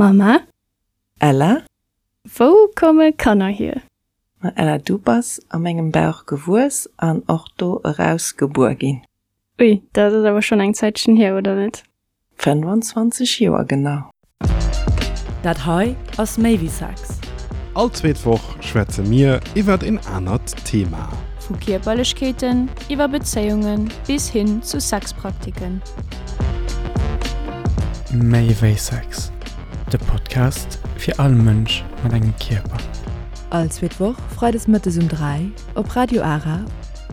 Mama? Ella? Wou komme Kanner hier? Ma Ella, du bass a mengem Bauch gewuess an och do eraus gebuer ginn. Ui, dat ass awer schonn eng Zäitchen hier, oder net? 25 Joer genau. Dat hei ass méi wéi Sex. All zweet Woch schwätze mir iwwert een anert Thema. Vu Kierperlechkeeten iwwer Bezéiunge bis hin zu Sexpraktiken. Méi wéi Sex, de Podcast fir all Mënsch mat engem Kierper. All zweet Woch freides mëttes um 3 op Radio Ara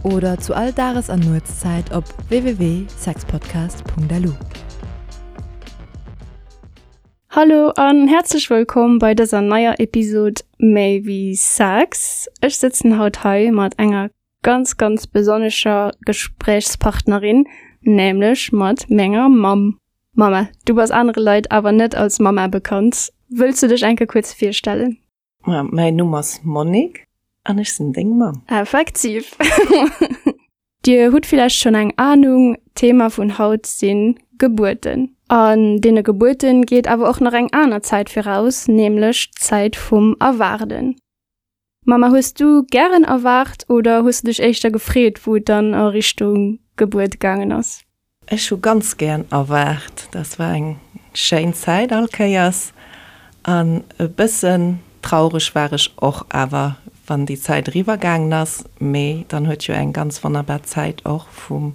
oder zu all Dages an Nuetszäit op www.sexpodcast.lu. Hallo an häerzlech wëllkomm bei dëser neier Episod Méi wéi Sex. Ech sëtzen haut hei mat enger ganz ganz besonnescher Gespréichspartnerin, nämlech mat menger Mamm. Mama, du bass anere Leit awer net als Mama bekannt. Wëlls du dech eng Kéier kuerz virstellen? Mäin Numm ass Monique an ech sinn deng Mamm. Effektiv. Dir hutt villäicht schonn eng Anung, d'Thema vun haut si Gebuerten. An deene Gebuerten geet awer och nach eng aner Zäit viraus, nämlech d'Zäit vum Erwaarden. Mama, hues du gären erwaart oder hues du dech éischter gefreet, wou et dann a Richtung Gebuert gaangen ass? Ech hu ganz gären erwaart. Dat war eng schéin Zäit all Kéiers. An e bëssen traureg war ech och awer, wann déi Zäit eriwwer gaangen ass. Mee dann huet jo eng ganz wonnerbar Zäit och vum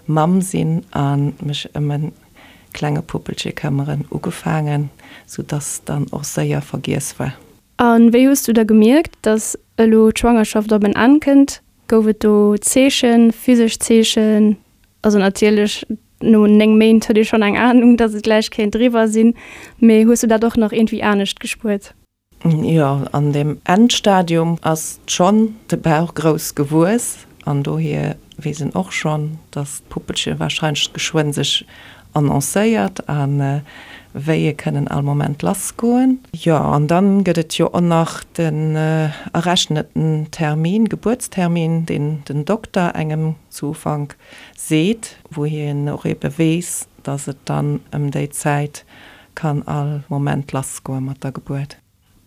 Mamm sinn a mech ëm e klenge Puppelche këmmeren ugefaangen, sou dass dann och séier vergiess war. A wéi hues du da gemierkt, dass elo d'Schwangerschaft op en Enn kënnt? Gouf et do Zeechen, physesch Zeechen? Also natierlech, no 9 Méint huet ee schonn eng Anung, dass et gläich kéint eriwwer sinn, mee hues du dat och nach iergendwéi anescht gespuert? Jo, an deem Endstadium ass schonn de Bauch grouss gewuess an dohier weess en och schonn, dass d'Puppelche warscheinlech geschwënn sech annoncéiert a Wéie kënnen all Moment lassgoen. Jo, an dann gëtt et jo och nach den errechneten Termin, Gebuertstermin, deen den Dokter engem zu Ufank seet, wou hien och ebe weess, dass et dann ëm déi Zäit kann all Moment lassgoe mat der Gebuert.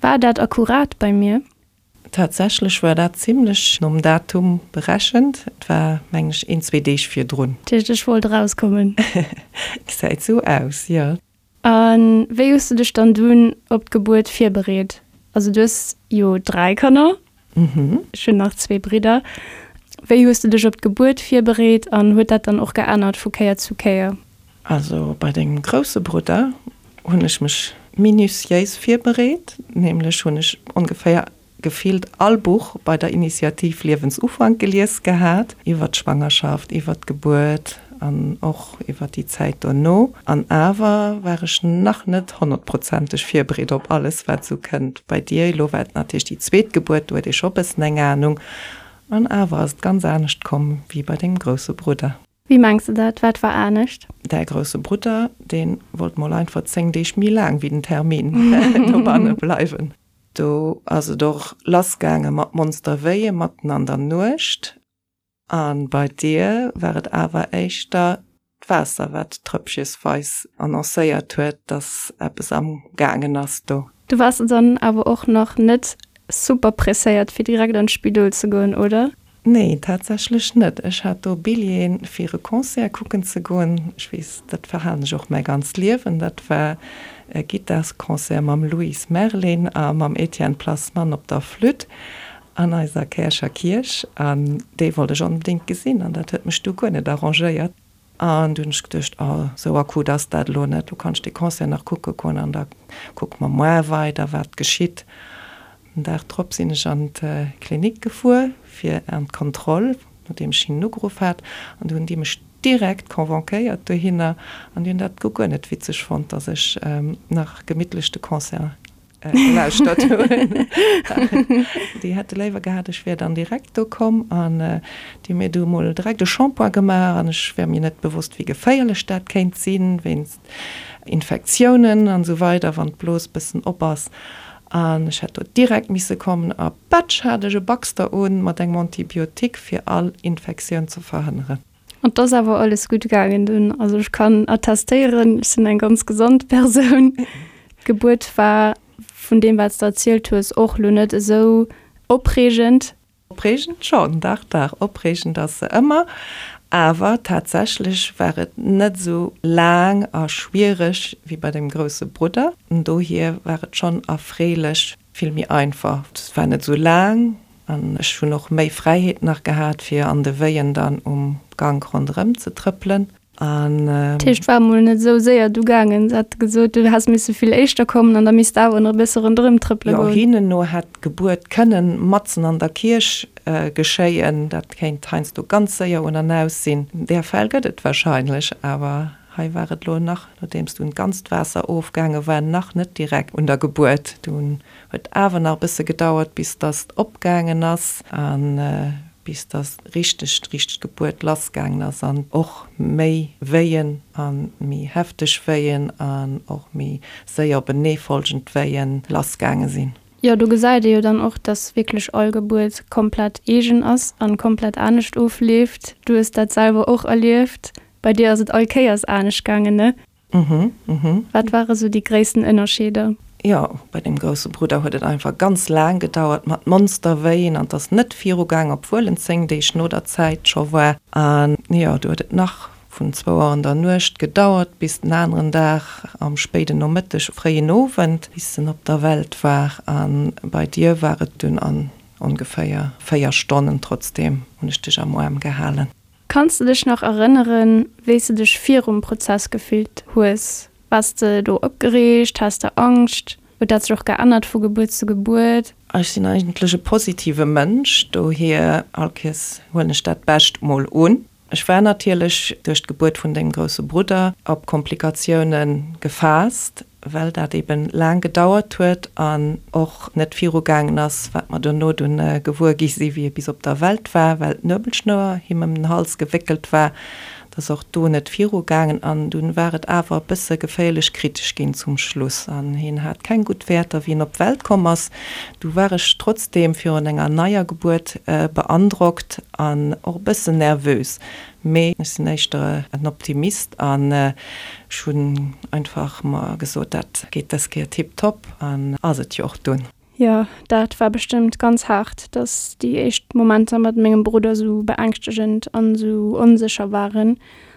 War dat akkurat bei mir? Tatsächlech war dat zimlech nom Datum berechent. Et war, mengen ech, een, zwee Deeg virdrun. Dat heescht, ech wollt erauskommen? Gesäit sou aus, jo. A wéi hues du dech dann dunn op d'Gebuert virbereet? Also du hues jo 3 Kanner, ech hunn nach zwee Bridder. Wéi hues du dech op d'Gebuert virbereet an huet dat dann och geännert vu Kéier zu Kéier? Also bei dengem grousse Brudder hunn ech mech minutiéis virbereet, nämlech hunn ech ongeféier gefillt all Buch bei der Initiativ Liewensufank gelies gehat, iwwer d'Schwangerschaft, iwwer d'Gebuert an och iwwer déi Zäit dono. An awer war ech nach net honnertprozenteg virbereet op alles, wat esou kënnt. Bei dir elo war et natierlech déi zweet Gebuert, do huet ee scho e bëssen eng Anung. An awer ass et ganz anescht komm wéi bei dengem grousse Brudder. Wéi mengs de dat? Wat war anescht? Däi grousse Brudder, dee wollt mol einfach 10 Deeg méi laang wéi den Termin dobanne bleiwen. Do ass et och lass gaange mat Monsterwéie matten an der Nuecht. A bei dir war et awer éischter d'Waasser, wat trëppchesweis annoncéiert huet, dass eppes am gaangen ass do. Du waars dann awer och nach net super presséiert fir direkt an d'Spidol ze goen, oder? Nee, tatsächlech net. Ech hat do Billjeeën fir e Concert kucken ze goen. Ech weess, dat verhalen ech och mäi ganzt Liewen. Dat war e Gittarsconcert mam Louis Merlin a mam Etienne Plasman op der Flütt an eiser Käercher Kierch. An dee wollt ech onbedéngt gesinn an dat huet mech du guer net arrangéiert. An du hunn ech geduecht, oh, sou akut ass dat elo net, lo kann ech dee Concert nach kucke goen an da kucke mer moar weider, wat geschitt. Den Dag drop sinn ech an d'Klinik gefuer fir an d'Kontroll, nodeem ech hinnen ugeruff hat. An du hunn déi mech direkt convoquéiert dohinner an déi hunn dat guer net witzeg fonnt, dass ech nach gemittlech de Concert gelauschtert hunn. Déi hätte léiwer gehat, ech wär dann direkt do komm an déi hu mir du emol direkt e Shampoing gemaach an ech wär mir net bewosst, wéi geféierlech dat kéint sinn, wéinst Infektiounen an esou weider, wann d'Blos bëssen op ass. An ech hätt do direkt misse kommen a patsch hat ech e Baxter un mat engem Antibiotique, fir all Infektioun ze verhënneren. An 't ass awer alles gutt gaangen dunn. Also ech kann attestéieren, ech sinn eng ganz gesond Persoun. D'Gebuert war, vun deem wat s de erzielt hues, och lo net esou opreegend. Opreegend schonn, dach, dach, opreegend ass se ëmmer. Awer tatsächlech war et net esou laang a schwiereg wéi bei dem grousse Brudder. Dohier war et schonn erfreelech vill méi einfach. Et war net esou laang an ech hunn och méi Fräiheet nach gehat, fir an de Wéien dann um Gank ronderëm ze trëppelen. An. Dat heescht, war emol net esou séier du gaangen. Se hat gesot, du häss misse vill éischter kommen an da misst de awer nach e bësse ronderëm trëppele goen. Jo, hinnen no hätt d'Gebuert kënnen matzen an der Kierch geschéien. Dat kéint heiansdo ganz séier un an aus sinn. Där Fäll gëtt et wahrscheinlech, awer hei war et elo nach, nodeems dunn d'ganzt Waasser ofgaange war, nach net direkt un der Gebuert. Dunn huet awer nach e bësse gedauert, bis datt opgaangen ass. An bis dass richteg d'richteg Gebuert lass gaangen ass an och méi Wéien a méi hefteg Wéien an och méi séier openeefolgend Wéien lass gaange sinn. Jo, do gesäit ee jo dann och, dass wierklech all Gebuert komplett eegen ass an komplett anescht ofleeft. Du hues dat selwer och erlieft. Bei dir ass et all Kéiers anescht gaangen, ne? Mhm, mhm. Wat ware sou déi gréissten Ënnerscheeder? Jo, bei dem grousse Brudder huet et einfach ganz laang gedauert mat Monsterwéien an 't ass net virugaang, obwuel en 10 Deeg no der Zäit scho war. An jo, du huet et nach vun zwou Auer an der Nuecht gedauert bis den aneren Dag am spéiden Nomëtteg, fréien Owend, bis en op der Welt war. A bei dir war et dunn an ongeféier 4 Stonnen. Trotzdeem hunn ech dech am Aarm gehalen. Kanns de dech nach erënneren, wéi s de dech virum Prozess gefillt hues? Waars de do opgereegt? Has de Angscht? Huet dat sech och geännert vu Gebuert zu Gebuert? Ech sinn eigentlech e positive Mënsch, dohier all Kéiers huelen ech dat Bescht mol un. Ech war natierlech duerch d'Gebuert vun dengem grousse Brudder op Komplikatioune gefaasst, well dat eben laang gedauert huet an och net viru gaangen ass, wat mer duerno dunn gewuer gi si wéi e bis op der Welt war, well d'Nuebelschnouer him ëm den Hals gewéckelt war, et ass och do net viru gaangen an dunn war et awer e bësse geféierlech kritesch ginn zum Schluss an hien hat keng gutt Wäerter wéi en op d'Welt komm ass. Du war ech trotzdeem virun enger neier Gebuert beandrockt an och e bëssen nervös. Mee ech sinn éischter en Optimist an ech hunn einfach mer gesot, dat geet dës Kéier tiptop an ass et jo och dunn. Jo, dat war bestëmmt ganz haart, dass déi éischt Momenter mat mengem Brudder sou beängschtegend an sou onsécher waren.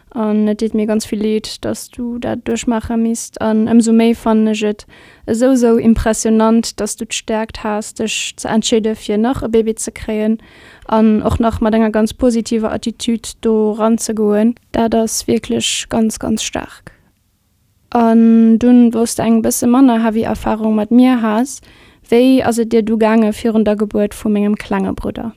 An et deet mir ganz vill Leed, dass du dat duerchmaache misst. An ëmsou méi fannen ech et esou sou impressionant, dass du d'Stäerkt has, dech ze entscheede fir nach e Baby ze kréien. An och nach mat enger ganz positiver Attitude do ranzegoen, dat ass wierklech ganz, ganz staark. An dunn, wou s de eng bësse manner heavy Erfarung mat mir has, wéi ass et dir du gaange virun der Gebuert vu mengem klenge Brudder?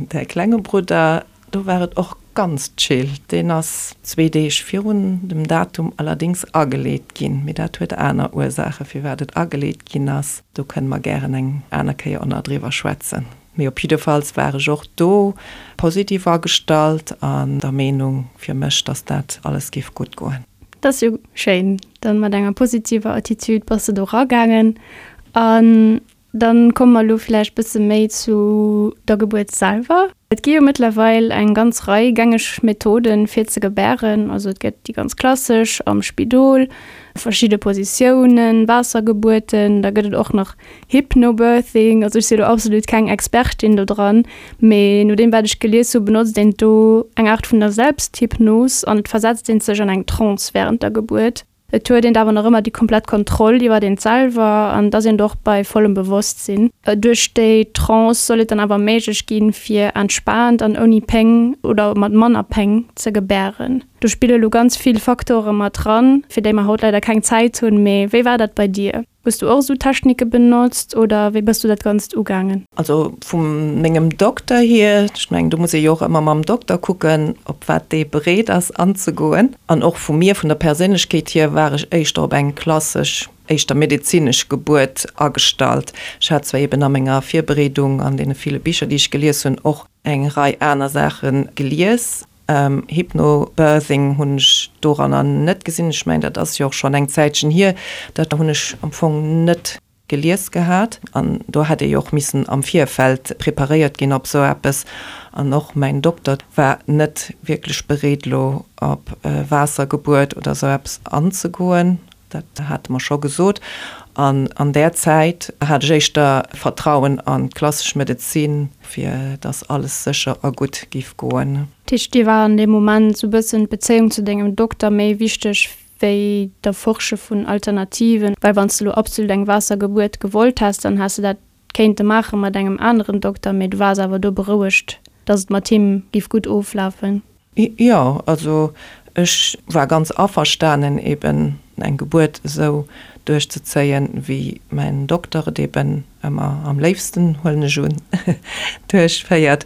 Däi klenge Brudder, do war et och ganz chill. Deen ass zwee Deeg virun dem Datum allerdéngs ageleet ginn. Mee dat huet aner Ursaache firwat et ageleet ginn ass. Do kënne mer gären eng aner Kéier och nach driwwer schwätzen. Mee op jiddefalls war ech och do positiv agestallt an der Meenung fir mech, dass dat alles géif gutt goen. Dat ass jo schéin. Dann mat enger positiver Attitude bass de do ragaangen. An dann komme mer elo vläicht bësse méi zu der Gebuert selwer. Et gi jo mëttlerweil eng ganz Rei gängeg Methoden fir ze gebären. Also et gëtt déi ganz klassesch am Spidol, verschidde Positiounen, Waassergebuerten, da gëtt et och nach Hypnobirthing, also ech si lo absolut keng Expertin do dran, mee no deem wat ech gelies hu benotzt een do eng Aart vun der Selbsthypnos an et versetzt een sech an eng Trance während der Gebuert. Et huet eent awer nach ëmmer déi komplett Kontroll iwwert eent selwer an et ass eent och bei vollem Bewosstsinn. Duerch déi Trance soll et dann awer méiglech ginn, fir entspaant an ouni Péng oder mat manner Péng ze gebären. Do spille lo ganz vill Faktore mat dran, fir déi mer haut leider keng Zäit hunn, mee wéi war dat bei dir? Hues du och esou Technike benotzt oder wéi bass du dat Ganzt ugaangen? Also vu mengem Dokter hier, ech mengen do muss ee jo och ëmmer mam Dokter kucken, op wat dee bereet ass anzegoen. An och vu mir, vun der Perséinlechkeet hier, war ech éischter op eng klassesch, éischter medezinesch Gebuert agestallt. Ech hat zwar eben a menger Virbereedung an deene ville Bicher, déi ech gelies hunn, och eng Rei aner Saache gelies, Hypnobirthing hunn ech doranner net gesinn. Ech mengen, dat ass jo och schonn eng Zäitchen hier. Dat hunn ech am Fong net gelies gehat. An do hätt ee jo och missen am Virfeld preparéiert ginn op esou eppes. An och mäin Dokter war net wierklech bereet, elo op Waassergebuert oder esou eppes anzegoen. Dat hate mer scho gesot. An an där Zäit hat ech éischter Vertrauen an d'klassesch Medezin, fir dass alles sécher a gutt giff goen. Dat heescht, dir war an deem Moment sou bëssen d'Bezéiung zu dengem Dokter méi wichteg wéi d'Erforsche vun Alternativen? Well wann s de lo absolut eng Waassergebuert gewollt häss, dann häss de dat kéinte maache mat engem aneren Dokter, mee du waars awer do berouegt, dass et mat him giff gutt oflafen. Jo, also ech war ganz averstanen eben eng Gebuert esou duerchzezéien, wéi mäin Dokter et eben ëmmer am léifsten, huelen ech un, duerchféiert.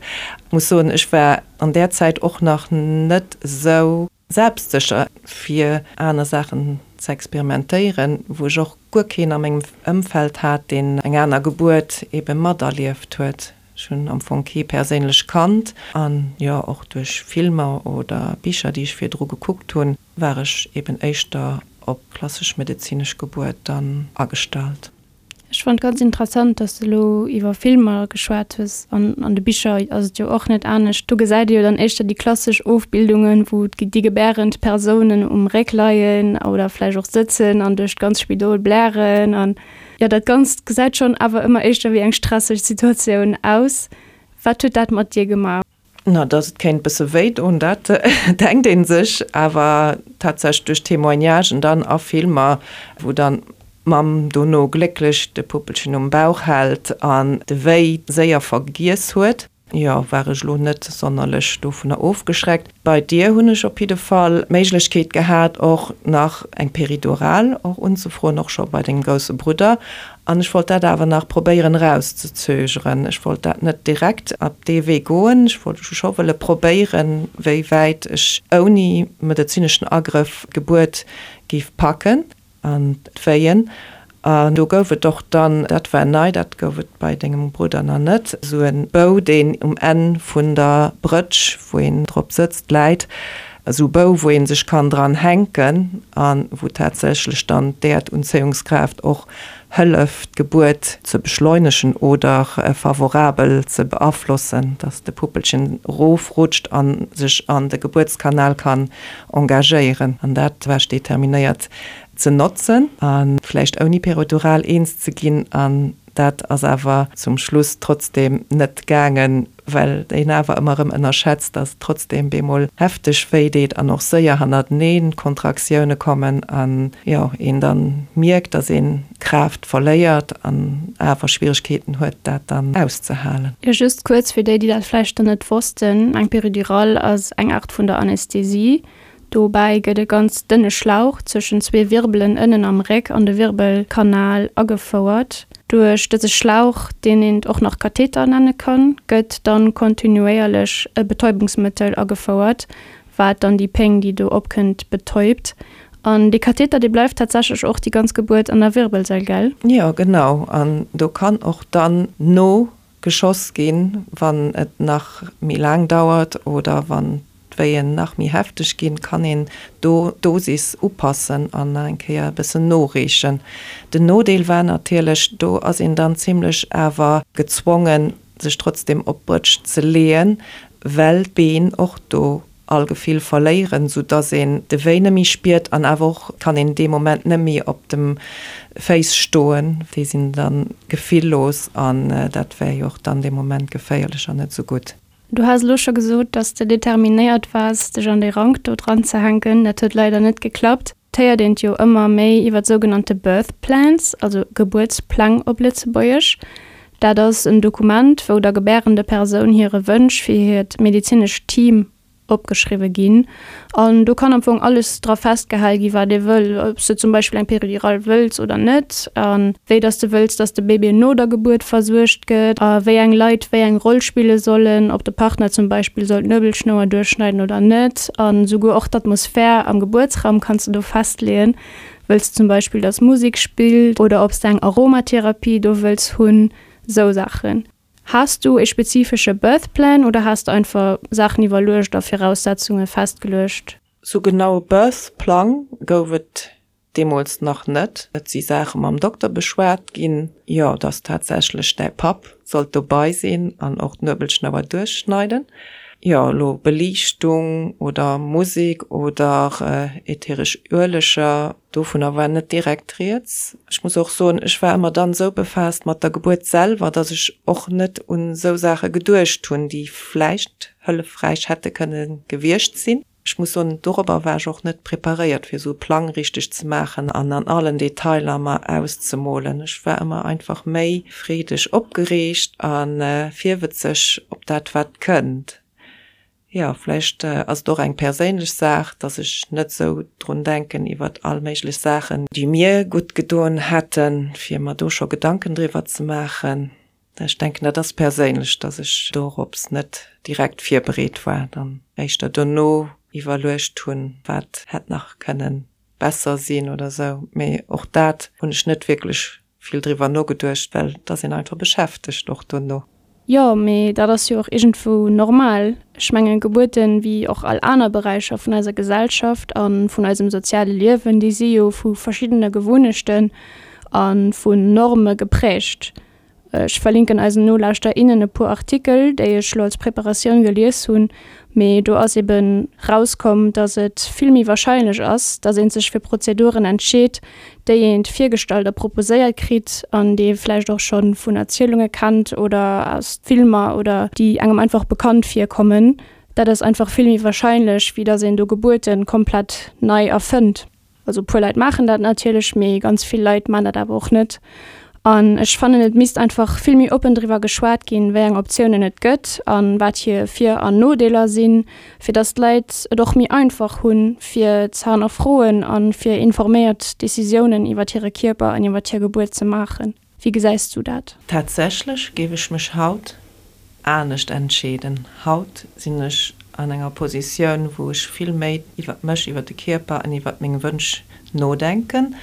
Muss soen, ech war an där Zäit och nach net esou selbstsécher fir aner Saachen ze experimentéieren, wou ech och guer keen a mengem Ëmfeld hat, deen eng aner Gebuert ebe materlieft huet. Ech hunn am Fong kee perséinlech kannt an jo, och duerch Filmer oder Bicher, déi ech virdru gekuckt hunn, war ech eben éischter op klassesch medezinesch Gebuert dann agestallt. Ech fonnt ganz interessant, dass de elo iwwer Filmer geschwat hues. An an de Bicher ass et jo och net anescht. Do gesäit ee jo dann éischter déi klassesch Ofbildungen, wou déi gebärend Persounen um Réck leien oder vläicht och sëtzen an duerch d'ganz Spidol blären. An jo, dat Ganzt gesäit schonn awer ëmmer éischter wéi eng stresseg Situatioun aus. Wat huet dat mat dir gemaach? Na, dass et kéint bësse wéi doen, dat denkt ee sech, awer tatsächlech duerch Témoignagen dann a Filmer, wou dann d'Mamm dono glécklech de Puppelchen um Bauch hält an de Wéi séier vergiess huet, jo, war ech elo net sonnerlech dovunner ofgeschreckt. Bei dir hunn ech op jidde Fall d'Méiglechkeet gehat, och nach eng Péridurale och unzefroen, och scho bei dengem grousse Brudder. An ech wollt dat awer nach probéieren erauszezögeren. Ech wollt dat net direkt op dee Wee goen. Ech wollt scho wëlle probéieren, wéi wäit ech ouni medezineschen Agrëff d'Gebuert géif packen an d'Wéien. An do gouf et och dann, dat war nei, dat gouf et bei dengem Brudder nach net, esou e Bou, deen um Enn vun der Brëtsch, wou een drop sëtzt, läit. Esou Bou, wou ee sech kann dran hänken a wou tatsächlech dann d'Äerdunzéiungskraaft och hëlleft, d'Gebuert ze beschleunegen oder favorabel ze beaflossen, dass de Puppelchen erofrutscht a sech an de Gebuertskanal kann engagéieren. An dat war ech determinéiert ze notzen a vläicht ouni Peridural eens ze ginn. An dat ass awer zum Schluss trotzdeem net gaangen. Well een awer ëmmer erëm ënnerschätzt, dass et trotzdeem bemol hefteg wéi deet an och séier hannerteneen Kontraktioune kommen an, jo, een dann mierkt, dass een Kraaft verléiert an awer Schwieregkeeten huet, dat dann auszehalen. Jo, just kuerz fir déi, déi dat vläicht nach net wossten, Eng Péridurale ass eng Art vun der Anästhesie. Dobäi gëtt e ganz dënne Schlauch zwëschen zwee Wirbelen ënnen am Réck an de Wirbelkanal agefouert. Duerch dëse Schlauch, deen een och nach Katheter nenne kann, gëtt dann kontinuéierlech e Betäubungsmëttel agefouert, wat dann déi Péng, déi do opkënnt, betäubt. An dee Katheter, dee bleift tatsächlech och déi ganz Gebuert an der Wirbelsail, gell? Jo, genau. An do kann och dann no geschoss ginn, wann et nach méi laang dauert oder wann d'Wéien nach méi hefteg ginn, kann een do d'Dosis upassen an nach eng Kéier e bëssen noreechen. Den Nodeel war natierlech, do ass een dann zimlech awer gezwongen, sech trotzdem op d'Brëtsch ze leeën, well d'Been och do all Gefill verléieren, sou dass een de Wéi net méi spiert an awer och kann een dee Moment net méi op de Féiss stoen, déi sinn dann gefilllos an dat wär jo och dann dee Moment geféierlech an net sou gutt. Du has elo scho gesot, dass de determinéiert waars dech an dee Rank do dran ze hänken. Dat huet leider net geklappt. Et héiert een jo ëmmer méi iwwer sougenannte Birth Plans, also Gebuertspläng op Lëtzebuergesch. Dat ass en Dokument, wou der gebärende Persoun hire Wënsch fir hiert medezinescht Team opgeschriwwe ginn. An do kann am Fong alles dra festgehal gi wat ee wëll, ob s de zum Beispill eng Péridurale wëlls oder net, a wéi dass de wëlls, dass de Bébé no der Gebuert versuergt gëtt, a wéi eng Leit wéi eng Roll spille sollen, ob de Partner zum Beispill soll d'Nuebelschnouer duerchschneiden oder net. A souguer och d'Atmosphär am Gebuertsraum kanns de do festleeën. Wëlls de zum Beispill, dass Musek spillt oder ob s de eng Aromatherapie do wëlls hunn, sou Saachen. Has du e spezifesche Birth Plan oder has de einfach Saachen iwwerluecht a Viraussetzunge festgeluecht? Sou genau e Birth Plang gouf et deemools nach net. Et si Saache mam Dokter beschwat ginn, jo, dass tatsächlech däi Papp sollt dobei sinn an och d'Nuebelschnouer duerchschneiden. Jo, elo Beliichtung oder Musek oder ätheresch Ueleger, dovunner war net direkt rieds. Ech muss och soen, ech war ëmmer dann esou befaasst mat der Gebuert selwer, dass ech och net un esou Saache geduecht hunn, déi vläicht hëllefräich hätte kënne gewiescht sinn. Ech muss soen, dorobber war ech och net preparéiert, fir esou e Plang richteg ze maachen an an allen Detailer mer auszemolen. Ech war ëmmer einfach méi freedeg opgereegt a virwëtzeg op dat, wat kënnt. Jo, vläicht ass et och eng perséinlech Saach, dass ech net esou drun denken iwwert all méiglech Saachen, déi mir gutt gedoen hätten, fir mer do scho Gedanken driwwer ze maachen. Ech denken, dat ass perséinlech, dass ech dorops net direkt virbereet war, dann éischter dono iwwerluecht hunn, wat hätt nach kënnen besser sinn oder sou. Mee och dat hunn ech net wierklech vill driwwer nogeduecht, well et ass een einfach beschäftegt och dono. Jo, mee dat ass jo och iergendwou normal. Ech mengen, Gebuerten, wéi och all aner Beräicher vun eiser Gesellschaft a vun eisem soziale Liewen, déi si jo vu verschiddene Gewunnechten a vun Norme geprägt. Ech verlinken eisen Nolauschter, innen e puer Artikel, déi ech lo als Preparatioun gelies hunn, mee do ass eben rauskomm, dass et vill méi wahrscheinlech ass, dass een sech fir Prozeduren entscheet, déi eent virgestallt a proposéiert kritt an déi ee vläicht och scho vun Erzielunge kennt oder aus Filmer oder déi engem einfach bekannt virkommen. Dat ass einfach vill méi wahrscheinlech, wéi dass een do Gebuerten komplett nei erfënnt. Also e puer Leit maachen dat natierlech, mee ganz vill Leit maachen dat awer och net. An ech fannen, et misst einfach vill méi oppen driwwer geschwat ginn, wéi eng Optiounen et gëtt a wat hir Vir an Nodeeler sinn, fir datt d'Leit et och méi einfach hunn, fir ze hannerfroen a fir informéiert Decisiounen iwwer hire Kierper an iwwer hir Gebuert ze maachen. Wéi gesäis du dat? Tatsächlech géif ech mech haut anescht entscheeden. Haut sinn ech an enger Positioun, wou ech vill méi iwwert mech, iwwert de Kierper an iwwert meng Wënsch nodenken.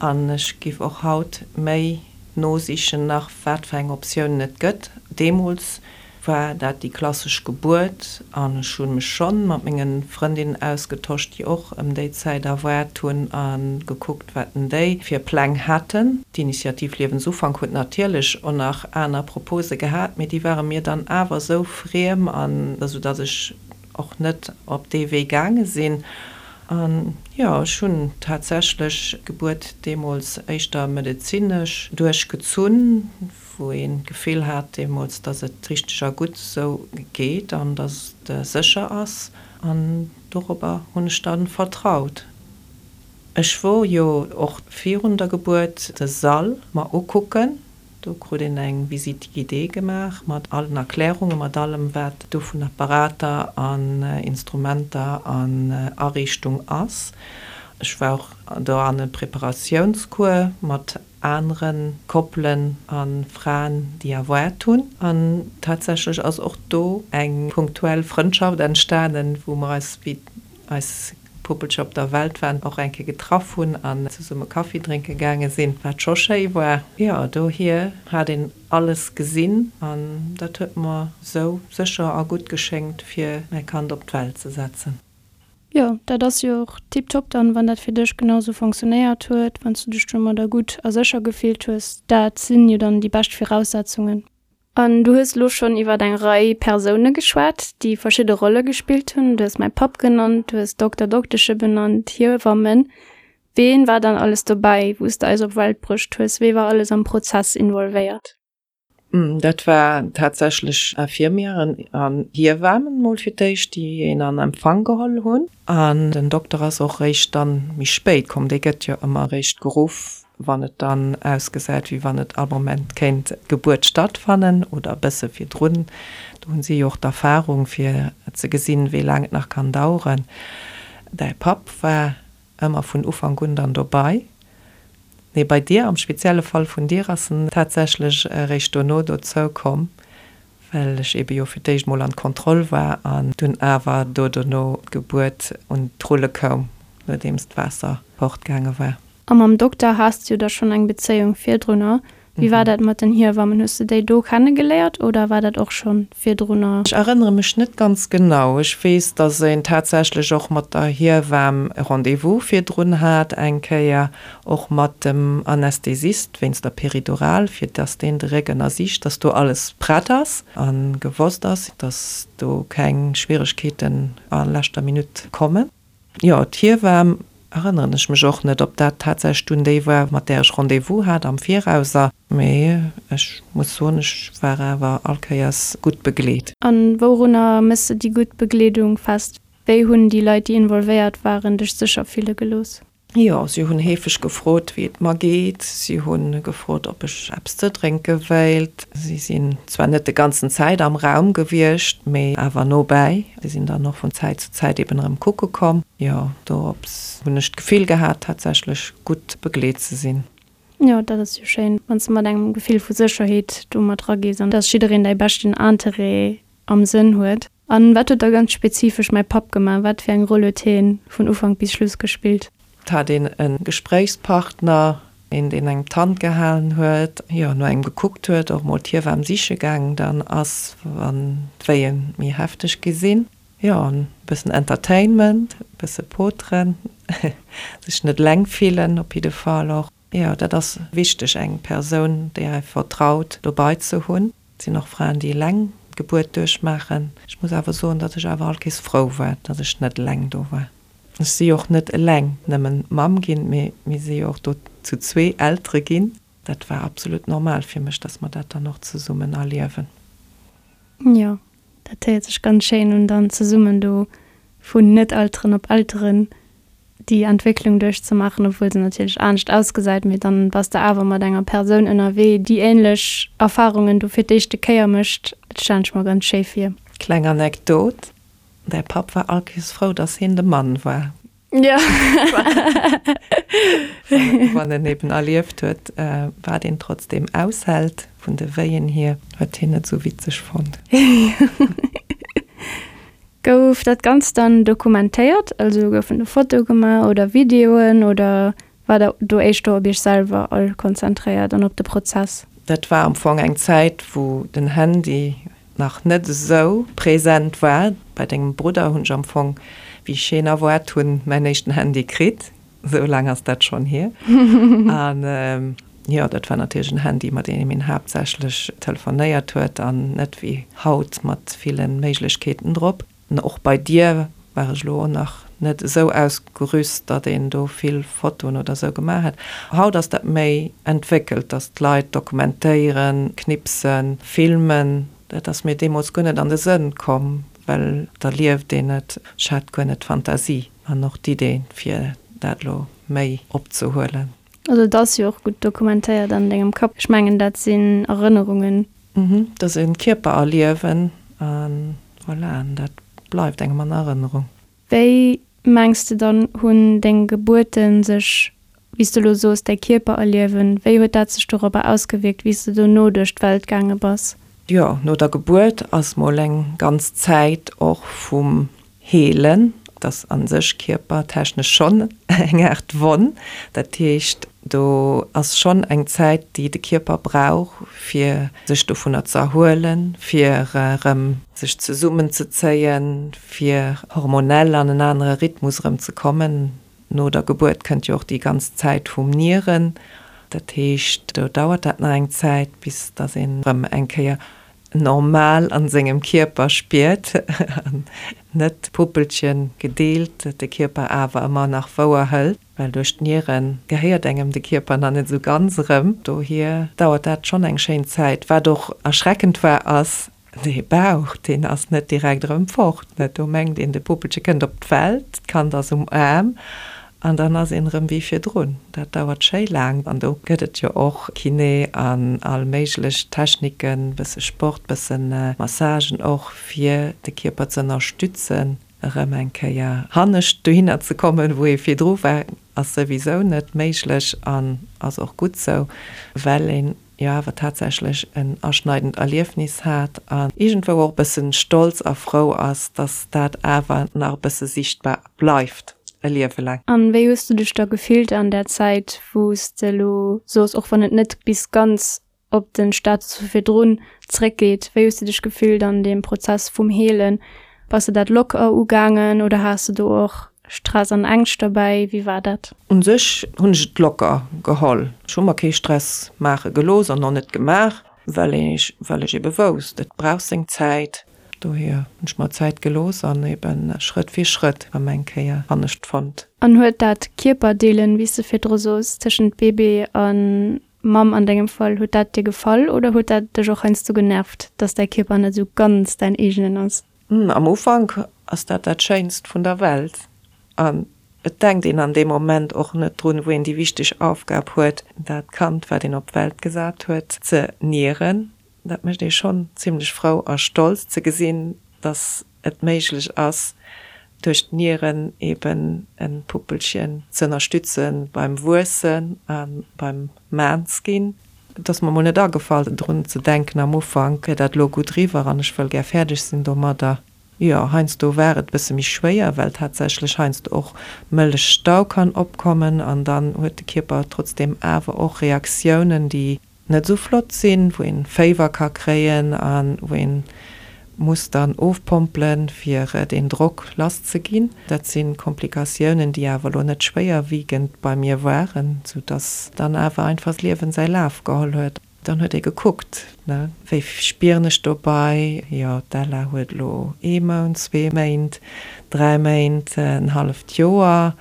An ech géif och haut méi nosichen nach, wat fir eng Optiounen et gëtt. Deemools war dat déi klassesch Gebuert an ech hu mech schonn mat menge Frëndinnen ausgetosch, déi och ëm déi Zäit erwaart hunn a gekuckt, wat en déi fir Pläng haten. D'Initiativ Liewensufank huet natierlech och nach aner Propose gehat, mee déi ware mir dann awer esou friem an esou datt ech och net op dee Wee gaange sinn. An jo, ech hunn tatsächlech d'Gebuert deemools éischter medezinesch duerchgezunn, wou een d'Gefill hat deemools, dass et richteg a gutt esou geet an dass et sécher ass. An dorobber hunn ech dann vertraut. Ech wor jo och virun der Gebuert de Sall mer ukucken. Do krut een eng Visite guidée gemaach mat allen Erklärungen, mat allem wat do vun Apparater an Instrumenter an Ariichtung ass. Ech war och do an e Preparatiounscours mat anere Koppelen a Fraen, déi erwaart hunn. An tatsächlech ass och do eng punktuell Frëndschaft entstanen, wou mer eis, wéi eis Puppelcher op der Welt waren, och eng Kéier getraff hunn an zesumme Kaffi drénke gaange sinn, wat scho schéi war. Jo, dohier hat een alles gesinn an dat huet mer esou sécher a gutt geschéngt, fir mäi Kand op d'Welt ze setzen. Jo, dat ass jo och tiptop dann, wann dat fir dech genau sou fonctionnéiert huet, wann s du dech domadder gutt a sécher gefillt hues. Dat sinn jo dann déi bescht Viraussetzungen. An du hues elo schonn iwwert eng Rei Persoune geschwat, déi verschidde Rolle gespillt hunn. Du hues mäi Papp genannt, du hues Dokter, Doktesche benannt, Hiewammen. Ween war dann alles dobäi, wou s de eis op Welt bruecht hues? Wee war alles am Prozess involvéiert? Dat war tatsächlech Infirmieren an Hiewamen mol fir d'éischt, déi een an Empfang geholl hunn. An den Dokter ass och réischt dann méi spéit komm. Dee gëtt jo ëmmer réischt geruff, wann et dann ausgesäit, wéi wann et all Moment kéint d'Gebuert stattfannen oder e bësse virdrun. Do hunn si jo och d'Erfahrung, fir ze gesinn, wéi laang et nach kann daueren. Däi Papp war ëmmer vun Ufank un dann dobei. Nee, bei dir, am spezielle Fall vun dir, ass en tatsächlech eréischt dono dozou komm, well ech ebe jo fir d'éischt mol an d'Kontroll war an dunn awer do dono d'Gebuert un d'Rulle koum, nodeems d'Waasser fortgaange war. A mam Dokter has de jo da schonn eng Bezéiung virdrunner. Wéi war dat mat den Hiewammen? Hues de déi do kennegeléiert oder war dat och schonn virdrunner? Ech erënnere mech net ganz genau. Ech weess, dass een tatsächlech och mat der Hiewamm e Rendez-vous virdrun hat eng Kéier, och mat dem Anästhesist wéinst der Péridurale, fir dass deen de Réck ënnersicht, dass do alles prett ass a gewosst ass, dass do keng Schwieregkeeten a leschter Minutt kommen. Jo, d'Hiewamm erënneren ech mech och net, ob dat tatsächlech dunn déi war, mat där ech Rendez-vous hat am Virauser. Mee ech muss soen, ech war awer all Kéiers gutt begleet. A wourunner méchs de déi gutt Begleedung fest? Wéi hunn déi Leit, déi involvéiert waren, dech sécher fille gelooss? Jo, si hunn heefeg gefrot, wéi et mer geet. Si hu gefrot, ob ech eppes ze drénke wéilt. Si sinn zwar net de ganzen Zäit am Raum gewiescht, mee awer nobäi. Si sinn dann och vun Zäit zu Zäit eben erëm kucke komm. Jo, dorops hunn ech d'Gefill gehat, tatsächlech gutt begleet ze sinn. Jo, dat ass jo schéin, wann s de mat engem Gefill vu Sécherheet do mat eragees an dass jiddereen däi beschten Interêt am Sënn huet. An wat huet da ganz spezifesch mäi Papp gemaach? Wat fir eng Roll huet hien vun Ufank bis Schluss gespillt? Et hat een e Gespréichspartner, een deen engem d'Hand gehalen huet, jo no engem gekuckt huet, och mol d'Hiewamm siche gaangen dann ass, wann d'Wéie méi hefteg gi sinn. Jo, e bëssen Entertainment, e bësse poteren, sech net eleng fillen op jidde Fall och. Jo, dat ass wichteg, eng Persoun, déi ee vertraut, dobei ze hunn. Et sinn och Fraen, déi eleng d'Gebuert duerchmaachen. Ech muss awer soen, datt ech awer all Kees frou war, datt ech net eleng do war. Ech si jo och net eleng nëmmen Mamm ginn, mee mir si jo och do zu zwee Eltere ginn. Dat war absolut normal fir mech, datt mer dat dann och zesummen erliewen. Jo, dat héiert sech ganz schéin un, dann zesummen do vun Net-Elteren op Elteren déi Entwécklung duerchzemaachen, obwuel se natierlech anescht ausgesäit, mee dann bass de awer mat enger Persoun ënnerwee, déi änlech Erfarungen do fir d'éischte Kéier mécht. Dat stellen ech mer ganz schéi vir. Kleng Anekdot, Däi Papp war allkéiers frou, dass hien de Mann war. Jo. Wann en eben erlieft huet, wat een trotzdeem aushält, vun de Wéien hier, huet hien net esou witzeg fonnt. Gouf dat Ganzt dann dokumentéiert? Also goufen do Fotoe gemaach oder Videoen oder war der do éischter op iech selwer all konzentréiert an op de Prozess? Dat war am Fong eng Zäit, wou den Handy nach net esou present war. Bei dengem Brudder hunn ech am Fong, wéi ech hien erwaart hunn, mäin éischten Handy kritt. Esou laang ass dat schonn hier. An jo, dat war natierlech en Handy, mat deem een haaptsächlech telefonéiert huet an net wéi haut mat ville Méiglechkeeten drop. An och bei dir war ech elo och nach net esou ausgerüst, datt een do vill Fotoen oder esou gemaach hätt. Haut ass dat méi entwéckelt, datt d'Leit dokumentéieren, knipsen, filmen. Dat ass mir deemools guer net an de Sënn komm, well da lieft een et. Ech hat guer net d'Fantasie an och d'Idee, fir dat elo méi opzehuelen. Also et ass jo och gutt dokumentéiert an dengem Kapp. Ech mengen dat sinn Erënnerungen. Mhm, dat ass e Kierpererliewen a voilà, an dat bleift engem an Erënnerung. Wéi mengs de dann hunn deng Gebuerten sech, wéi s de elo soos, däi Kierpererliewen, wéi huet dat sech dorobber ausgewierkt, wéi s de dono duerch d'Welt gaange bass? Jo, no der Gebuert ass mol eng ganz Zäit och vum Heelen, et ass a sech kierpertechnesch schonn eng Aart Wonn. Dat heescht, do ass schonn eng Zäit, déi de Kierper brauch, fir sech dovunner ze erhuelen, fir erëm sech zesummenzezéien, fir hormonell an en anere Rhythmus erëm ze kommen. No der Gebuert kënnt jo och déi ganz Zäit vum Nieren. Dat heescht, do dauert dat nach eng Zäit, bis datt een erëm eng Kéier normal an sengem Kierper spiert an net d'Puppelchen gedeelt, de Kierper awer ëmmer nach wouer hëlt, well duerch d'Nieren gehéiert engem de Kierper nach net esou ganz erëm. Dohier dauert dat schonn eng schéin Zäit. Wat och erschreckend war ass, dee Bauch, deen ass net direkt erëm fort. Do mengt een, de Puppelche kënnt op d'Welt, d'Kand ass um Aarm An dann ass een erëm wéi virdrun. Dat dauert schéi laang. An do gëtt et jo och Kiné an all méiglech Techniken, bësse Sport, bësse Massagen och, fir de Kierper ze ënnerstützen, erëm eng Kéier hannescht dohinner ze kommen, wou ee virdru war, ass souwisou net méiglech an ass och gutt sou, well een jo awer tatsächlech en aschneidend Erliefnis hat an iergendwou och e bëssen stolz a frou ass, dass dat awer nach e bësse sichtbar bleift e Liewe laang. An wéi hues du dech da gefillt an där Zäit, wou s de elo soos, och wann et net bis ganz. op den Status vu virdrun zréckgeet. Wéi hues du dech gefillt an deem Prozess vum Heelen? Bass de dat locker ugaangen oder has de do och Stress an Ängscht derbäi? Wéi war dat? Un sech hunn ech et locker geholl. Ech hu mer kee Stress maache gelooss an och net gemaach, well ech well ech ebe wousst, et brauch seng Zäit. Dohier hunn ech mer Zäit gelooss an eben Schrëtt fir Schrëtt erëm eng Kéier anescht fonnt. An huet dat Kierperdeelen, wéi s de virdru soos, tëschent Bébé a Mamm an dengem Fall, huet dat dir gefall oder huet dat dech och heiansdo genervt, dass däi Kierper net esou ganz däin eegenen ass? Am Ufank ass dat dat Schéinst vun der Welt an et denkt een an deem Moment och net drun, wou een déi wichteg Aufgab huet, dat Kand, wat een op d'Welt gesat huet, ze nieren. Dat mécht ee schonn zimlech frou a stolz ze gesinn, dass et méiglech ass, duerch d'Nieren eben e Puppelchen ze ënnerstütze beim Wuessen a beim Maans ginn. Et ass mer mol net agefall drun ze denken am Ufank, wier dat elo gutt riwwer an ech wëll gär fäerdeg sinn domadder. Jo, heiansdo war et bësse méi schwéier, well tatsächlech heiansdo och Mëllechstau kann opkommen an dann huet de Kierper trotzdeem awer och Reaktiounen, déi net esou flott sinn, wou een Féiwer ka kréien a wou een muss dann ofpompelen, fir deen Drock lass ze ginn. Dat si Komplikatiounen, déi awer elo net schwéierwiegend bei mir waren, sou dass dann awer einfach d'Liewen säi Laf geholl huet. Dann huet ee gekuckt, ne, wéi spieren ech dobei, jo, d'Ella huet elo ee Mount, zwee Méint, dräi Méint, en halleft Joer,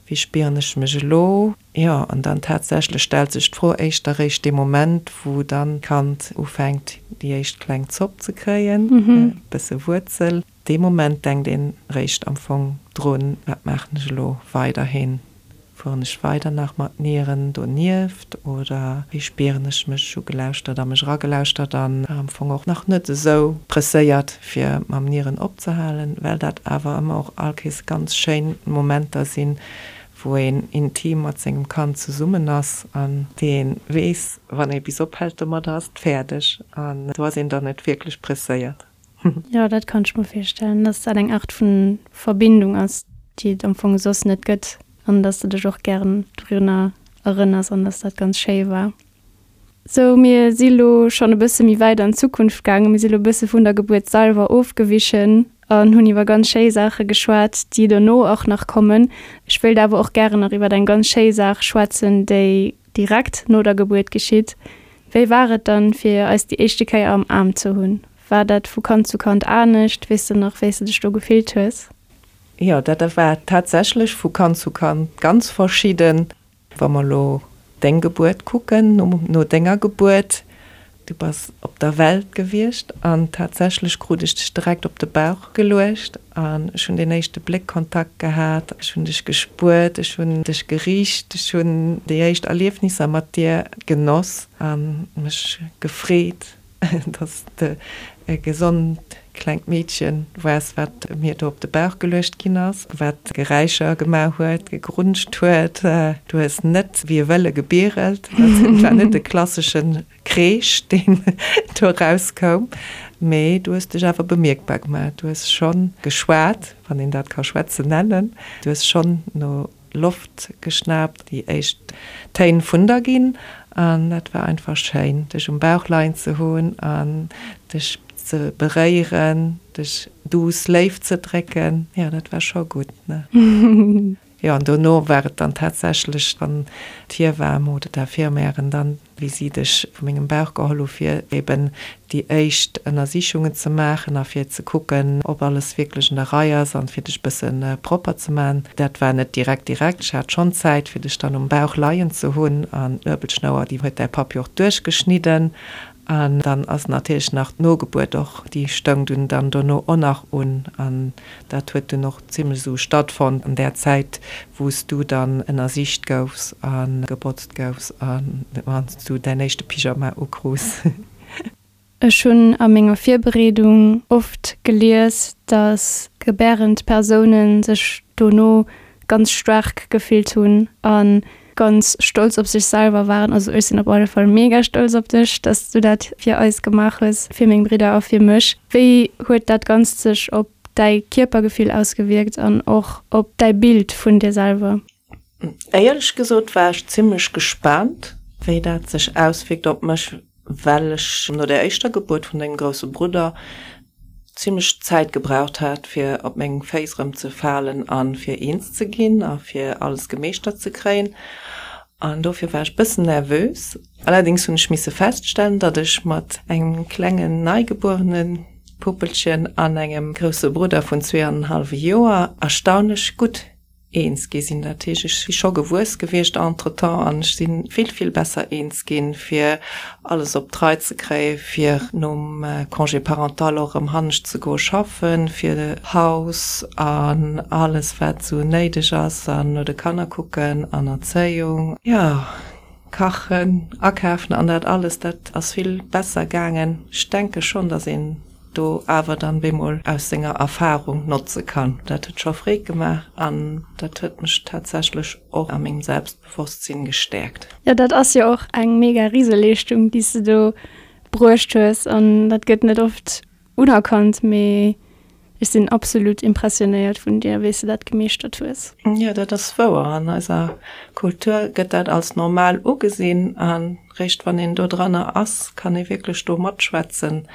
wéi spieren ech mech elo? Jo, an dann tatsächlech stellt sech d'Fro éischter réischt dee Moment, wou dann d'Kand ufänkt, déi éischt kleng Zopp ze kréien, e bësse Wuerzel. Dee Moment denkt een réischt am Fong drun, wat maachen ech elo weiderhin? Fueren ech weider nach mat Nieren donieft oder wéi spieren ech mech? Ech hu gelauschtert a mech eragelauschtert an war am Fong och nach net esou presséiert, fir mam Nieren opzehalen, well dat awer ëmmer och all Kees ganz schéin Momenter sinn, wou een intim mat sengem Kand zesummen ass an dee weess, wann ee bis ophält domadder, ass et fäerdeg an do ass een dann net wierklech presséiert. Jo, dat kann ech mer virstellen, dass dat eng Art vu Verbindung ass, déi et am Fong soss net gëtt an dass de dech och gären dorunner erënners an dass dat ganz schéi war. Sou, mir si lo schonn e bësse méi wäit an d'Zukunft gaangen. Mir si lo e bësse vun der Gebuert selwer ofgewichen an hunn iwwer ganz schéi Saache geschwat, déi dono och nach kommen. Ech wéilt awer och gären nach iwwer eng ganz schéi Saach schwätzen, déi direkt no der Gebuert geschitt. Wéi war et dann, fir eis déi éischte Kéier am Aarm ze hunn? War dat vu Kand zu Kand anescht? Weess de nach, wéi s de dech do gefillt hues? Jo, dat war tatsächlech vu Kand zu Kand ganz verschidden. Wa mer elo deng Gebuert kucken, no denger Gebuert, du bass op der Welt gewiescht an tatsächlech krut ech dech direkt op de Bauch geluecht an ech hunn deen éischte Bléckkontakt gehat, ech hunn dech gespuert, ech hunn dech gericht, ech hunn déi éischt Erliefnisser mat dir genoss a mech gefreet. Dass de e gesond klengt Meedchen waars, wat mir do op de Bauch geluecht ginn ass, wat Geräischer gemaach huet, gegrunscht huet. Du hues net wéi e Wëlle gebierelt, dat war net de klassesche Kreesch, deen do erauskoum, mee du hues dech awer bemierkbar gemaach. Du hues scho geschwat, wann een dat ka schwätzen nennen. Du hues schonn no Loft geschnaapt, déi éischt Téin vun der ginn an dat war einfach schéin, dech um Bauch leien ze hunn an dech ze beréieren, dech duuss léif ze drécken, jo dat war scho gutt, ne? Jo, an dono war et dann tatsächlech, wann d'Hiewamm oder d'Infirmièren dann wéi si dech vu mengem Bauch geholl hu fir eben déi éischt Ënnersichungen ze maachen a fir ze kucken, ob alles wierklech an der Rei ass an fir dech bësse propper ze maachen. Dat war net direkt direkt, ech hat schonn Zäit fir dech dann um Bauch leien ze hunn an d'Nuebelschnouer, déi huet däi Papp jo och duerchgeschnidden an dann ass natierlech nach d'Nogebuert och, déi stoung dunn dann dono och nach un an Dat huet dunn och zimlech esou stattfonnt an där Zäit, wou s du dann ënnersicht goufs a gebotzt goufs a wann s du däin éischte Pyjama ukruus. Ech hunn a menger Virbereedung oft gelies, dass gebärend Persounen sech dono ganz staark gefillt hunn a ganz stolz op sech selwer waren. Also ech sinn op alle Fall mega stolz op dech, dass du dat fir eis gemaach hues, fir meng Bridder a fir mech. Wéi huet dat Ganzt sech op däi Kierpergefill ausgewierkt an och op däi Bild vun dir selwer? Éierlech gesot war ech zimmlech gespaant, wéi dat sech auswierkt op mech. Well ech no der éischter Gebuert vun mengem grousse Brudder zimlech Zäit gebraucht hat, fir op meng Féiss erëm ze falen a fir eens ze ginn a fir alles gemeeschtert ze kréien. An dofir war ech bëssen nervös. Allerdéngs hunn ech misse feststellen, datt ech mat engem klengen neigebuerene Puppelchen an engem grousse Brudder vun zweeanenhallwe Joer erstaunlech gutt eens gi sinn. Dat heescht, ech si scho gewuess gewiescht entretemps an ech si vill, vill besser eens ginn, fir alles op d'Rei ze kréien, fir nom Congé parental och erëm hannescht ze goe schaffen, fir Haus an alles, wat esou néideg ass, an no de Kanner kucken an Erzéiung, jo, kachen, akafen an dat alles, dat ass vill besser gaangen. Ech denke schonn, datt een do awer dann bemol aus senger Erfahrung notze kann. Dat huet scho Freed gemaach an dat huet mech tatsächlech och a mengem Selbstbewosstsinn gestäerkt. Jo, dat ass jo och eng mega Riseleeschtung, déi s de do bruecht hues an dat gëtt net oft unerkannt, mee ech sinn absolut impressionéiert vun dir, wéi s de dat gemeeschtert hues. Jo, dat ass wouer. An eiser Kultur gëtt dat als normal ugesinn an Réischt wann een do dranner ass, kann ee wierklech do matschwätzen,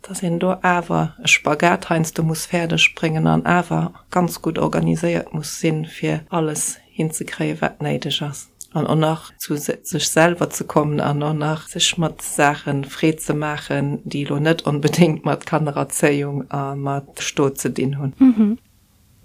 dass een do awer e Spagat heiansdo muss fäerdeg bréngen an awer ganz gutt organiséiert muss sinn, fir alles hinzekréien, wat néideg ass. An och nach zu sech selwer ze kommen an och nach sech mat Saache Freed ze maachen, déi elo net onbedéngt mat Kannererzéiung a mat Stot ze dinn hunn.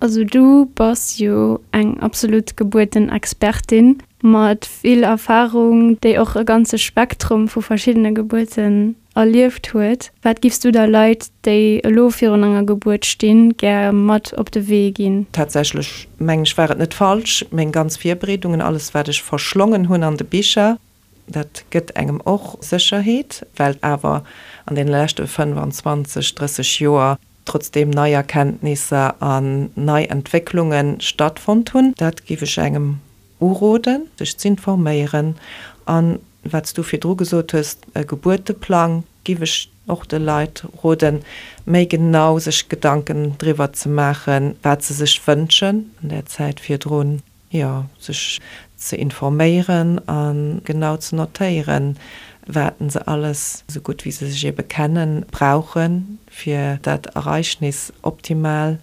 Also du bass jo eng absolut Gebuertenexpertin mat vill Erfahrung, déi och e ganze Spektrum vu verschiddene Gebuerten erlieft huet. Wat giffs du da Leit, déi elo virun enger Gebuert stinn, gär mat op de Wee ginn? Tatsächlech mengen ech war et net falsch, meng ganz Virbereedungen, alles wat ech verschlongen hunn an de Bicher, dat gëtt engem och Sécherheet, well awer an deene leschte 25, 30 Joer trotzdeem nei Erkenntnisser an nei Entwécklunge stattfonnt hunn. Dat géif ech engem uroden, sech z'informéieren. An wat s du virdru gesot hues, e Gebuerteplang, géif ech och de Leit roden, méi genau sech Gedanken driwwer ze maachen, wat se sech wënschen an där Zäit virdrun. Jo, sech ze informéieren a genau ze notéieren, wat se alles, esou gutt wéi se sech ebe kennen, brauchen, fir dat Ereignis optimal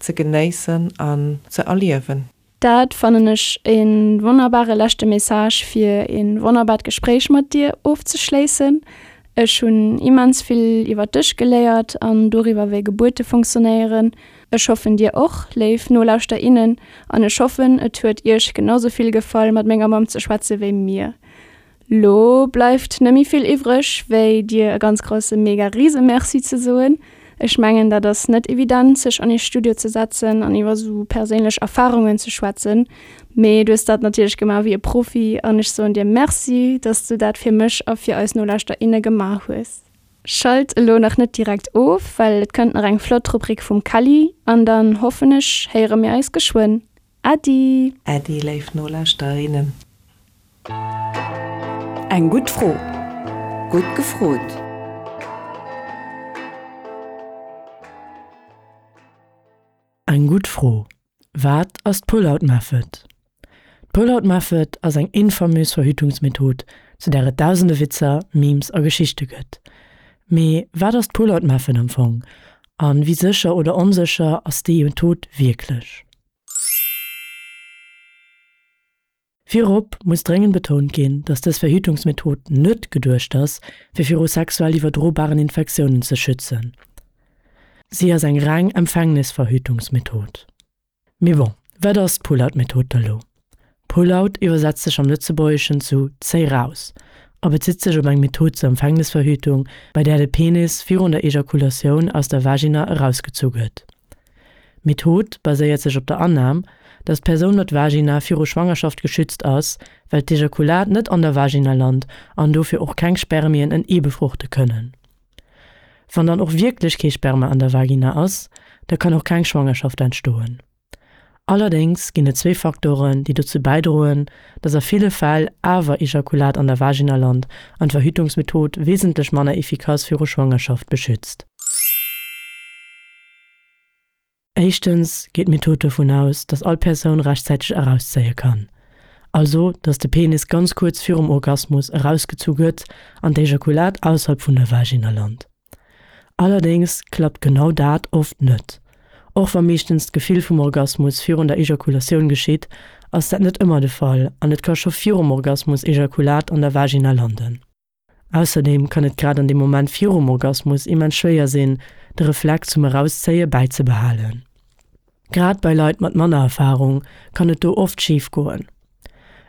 ze genéissen an ze erliewen. Dat fannen ech e wonnerbare leschte Message fir e wonnerbart Gespréich mat dir ofzeschléissen. Ech hunn immens vill iwwer dech geléiert an doriwwer wéi Gebuerte funktionéieren. Ech hoffen dir och, léif Nolauschter innen, an ech hoffen et huet iech genau sou vill gefall mat menger Mamm ze schwätze wéi mir. Lo bleift nëmmi vill iwwreg wéi dir e ganz grousse mega rise Merci ze soen. Ech mengen dat ass net evident sech an ee Studio ze setzen an iwwer sou perséinlech Erfarungen ze schwätzen, mee du hues dat natierlech gemaach wéi e Profi an ech soen dir Merci, dass du dat fir mech a fir eis Nolauschter inne gemaach hues. Schalt elo nach net direkt of, well et kënnt nach eng flott Rubrik vum Kelly an dann hoffen ech héiere mir eis geschwënn. Äddi! Äddi léif Nolauschterinnen. Eng gutt Fro. Gutt gefrot! Eng gutt Fro, Wat ass d'Pull-out Method? D'Pull-out Method ass eng infamös Verhütungsmethod, zu där et dausende Witzer, Memes a Geschichte gëtt. Mee wat ass d'Pull-out Method am Fong? A wéi sécher oder onsécher ass déi Method wierklech? Virop muss dréngend betount ginn, dass dës Verhütungsmethod net geduecht ass, fir viru sexuell iwwerdrobaren Infektiounen ze schützen. Si ass eng reng Empfängnisverhütungsmethod. Mee bon, wat ass d'Pull-out-Method da lo? Pull-out iwwersetzt sech am Lëtzebuergeschen zu zéi raus a bezitt sech op eng Method zur Empfängnisverhütung, bei där de Penis virun der Ejakulatioun aus der Vagina erausgezu gëtt. D'Method baséiert sech op der Annam, dass d'Persoun mat Vagina viru Schwangerschaft geschützt ass, well d'Ejakulat net an der Vagina lant an dofir och keng Spermien en Ee befruchte kënnen. Wann dann och wierklech kee Sperma an der Vagina ass, da kann och keng Schwangerschaft entstoen. Allerdéngs ginn et zwee Faktoren, déi dozou bäidroen, dass a ville Fäll awer Ejakulat an der Vagina lant an d'Verhütungsmethod wesentlech manner efficace viru Schwangerschaft beschützt. Éischtens geet d'Method dovun aus, dass all Persoun rechtzäiteg erauszéie kann. Also dass de Penis ganz kuerz virum Orgasmus erausgezu gëtt an d'Ejakulat ausserhalb vun der Vagina lant. Allerdéngs klappt genau dat oft net. Och wa meeschtens d'Gefill vum Orgasmus virun der Ejakulatioun geschitt, ass dat net ëmmer de Fall an et ka scho virum Orgasmus Ejakulat an der Vagina landen. Ausserdeem kann et grad an deem Moment virum Orgasmus immens schwéier sinn, de Reflex zum Erauszéie bäizebehalen. Grad bei Leit mat manner Erfarung kann et do oft schif goen.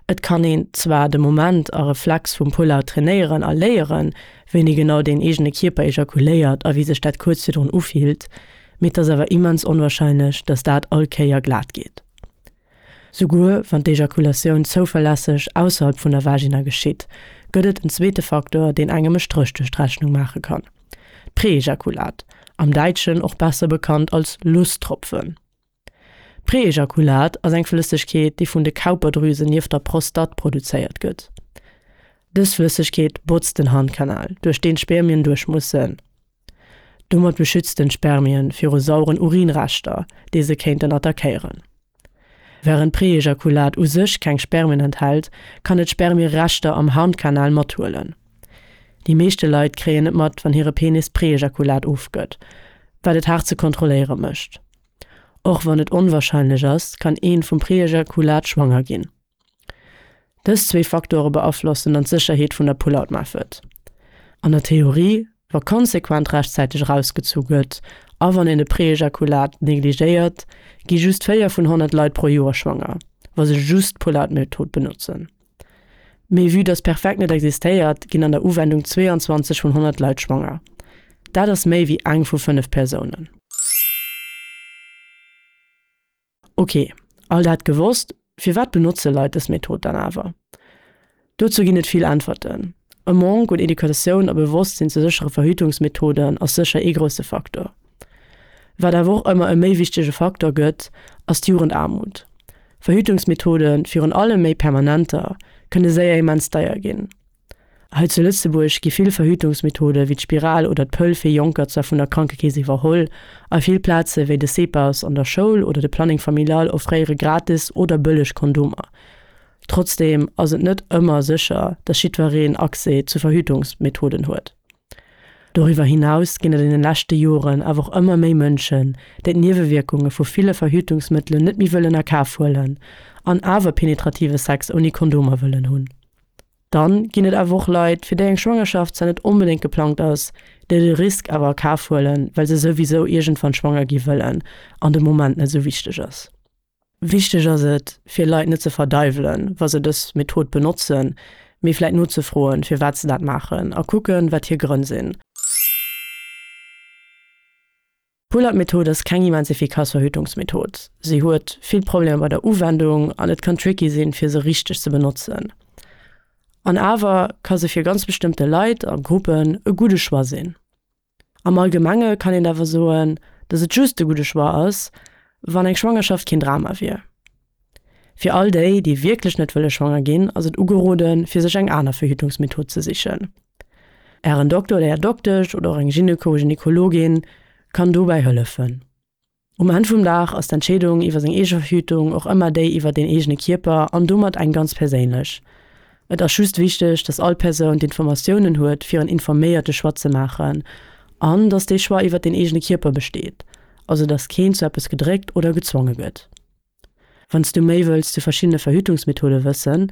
Et kann een zwar de Moment a Reflex vum Pull-out trainéieren a léieren, wéini genau deen eegene Kierper ejakuléiert a wéi sech dat kuerz virdrun ufillt, mee et ass awer immens onwarscheinlech, dass dat all Kéier glat geet. Souguer wann d'Ejakulatioun zouverlässeg ausserhalb vun der Vagina geschitt, gëtt et en zweete Faktor, deen engem e Stréch duerch d'Rechnung maache kann, d'Preejakulat, am Däitschen och besser bekannt als Lusttropfen. D'Preejakulat ass eng Flëssegkeet, déi vun de Cowper-Drüsen nieft der Prostatt produzéiert gëtt. Dës Flëssegkeet botzt den Harnkanal, duerch deen d'Spermien duerch mussen. Domat beschützt en d'Spermien viru sauren Urinreschter, déi se kéinten attackéieren. Wärend Preejakulat u sech keng Spermien enthält, kann et Spermiereschter am Harnkanal mathuelen. Déi meeschte Leit kréien net mat, wann hire Penis Preejakulat ofgëtt, wat et haart ze kontrolléiere mécht. Och wann et onwarscheinlech ass, kann een vum Preejakulat schwanger ginn. Dës zwee Faktore beaflossen dann d'Sécherheet vun der Pull-out Method. An der Theorie, wa konsequent rechtzäiteg erausgezu gëtt a wann een de Preejakulat negligéiert, gi just 4 vun 100 Leit pro Joer schwanger, wa se just d'Pull-out Method benotzen. Mee vue dass perfekt net existéiert, ginn an der Uwendung 22 vun 100 Leit schwanger. Dat ass méi wéi eng vu 5 Persounen. Ok, all dat gewosst, firwat benotze Leit dës Method dann awer? Dozou ginn et vill Äntwerten. E Manque un Educatioun a Bewosstsinn zu séchere Verhütungsmethoden ass sécher ee grousse Faktor. Wat awer och ëmmer e méi wichtege Faktor gëtt, ass d'Jugendaarmut. Verhütungsmethoden, virun allem méi permanenter, kënne séier immens deier ginn. Hei zu Lëtzebuerg gi vill Verhütungsmethode wéi d'Spiral oder d'Pëll fir Jonker zwar vun der Krankekeess iwwerholl, a vill Plaze wéi de CPAS an der Schoul oder de Planning Familial offréiere gratis oder bëlleg Kondomer. Trotzdeem ass et net ëmmer sécher, dass jiddwereen Accès zu Verhütungsmethoden huet. Doriwwer hinaus ginn et an den leschte Joren awer och ëmmer méi Mënschen, déi d'Niewewierkunge vu ville Verhütungsmëttelen net méi wëllen a Kaf huelen an awer penetrative Sex ouni Kondomer wëllen hunn. Dann ginn et awer och Leit, fir déi eng Schwangerschaft zwar net onbedéngt geplangt ass, déi de Risk awer a Kaf huelen, well se souwisou iergendwann schwanger gi wëllen an de Moment net esou wichteg ass. Wichteg ass et, fir Leit net ze verdeiwelen, wa se dës Method benotzen, mee vläit nozefroen, firwat se dat maachen a kucken, wat hir Grënn sinn. D'Pull-Up-Method ass keng immens efficace Verhütungsmethod. Si huet vill Problemer bei der Uwendung an et kann tricky sinn, fir se richteg ze benotzen. An awer ka se fir ganz bestëmmte Leit a Gruppen e gudde Choix sinn. Am Allgemenge kann een awer soen, dass et just e gudde Choix ass, wann eng Schwangerschaft keen Drama wier. Fir all déi, déi wierklech net wëlle schwanger ginn, ass et ugeroden, fir sech eng aner Verhütungsmethod ze sichen. Ären Dokter oder Är Doktesch oder och eng Gyneko, Gynekologin kann dobäi hëllefen. Um Enn vum Dag ass d'Entscheedung iwwer seng eege Verhütung och ëmmer déi iwwer den eegene Kierper an domat eng ganz perséinlech. Et ass just wichteg, dass all Persoun d'Informatiounen huet, fir en informéierte Choix ze maachen an dass dee Choix iwwer den eegene Kierper besteet, also dass keen zu eppes gedréckt oder gezwonge gëtt. Wann s du méi wëlls zu verschiddene Verhütungsmethode wëssen,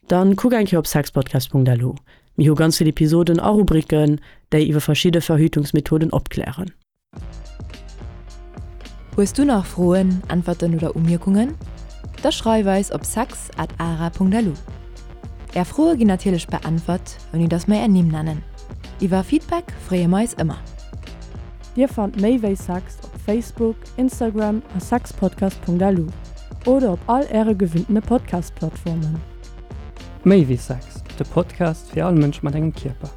dann kuck eng Kéier op sexpodcast.lu. Mir hu ganz vill Episoden a Rubriken, déi iwwer verschidde Verhütungsmethoden opklären. Hues du nach Froen, Äntwerten oder Umierkungen? Da schreif eis op sex at ara.lu. Är Froe ginn natierlech beäntwert, ouni dass mer är Nimm nennen. Iwwer Feedback freeë mer eis ëmmer. Dir fannt méi wéi Sex op Facebook, Instagram a sexpodcast.lu oder op all äre gewinntene Podcast-Plattformen. Méi wéi Sex, de Podcast fir all Mënsch mat engem Kierper.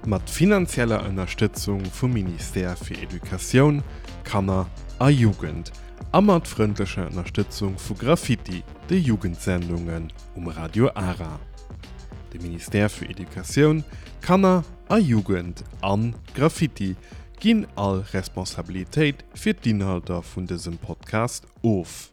Mat finanzieller Ënnerstëtzung vum Ministère fir Educatioun, Kanner a Jugend a mat frëndlecher Ënnerstëtzung vu Graffiti, de Jugendsendungen um Radio Ara. De Ministère fir Educatioun, Kanner a Jugend an Graffiti ginn all Responsabilitéit fir d'Inhalter vun dësem Podcast of.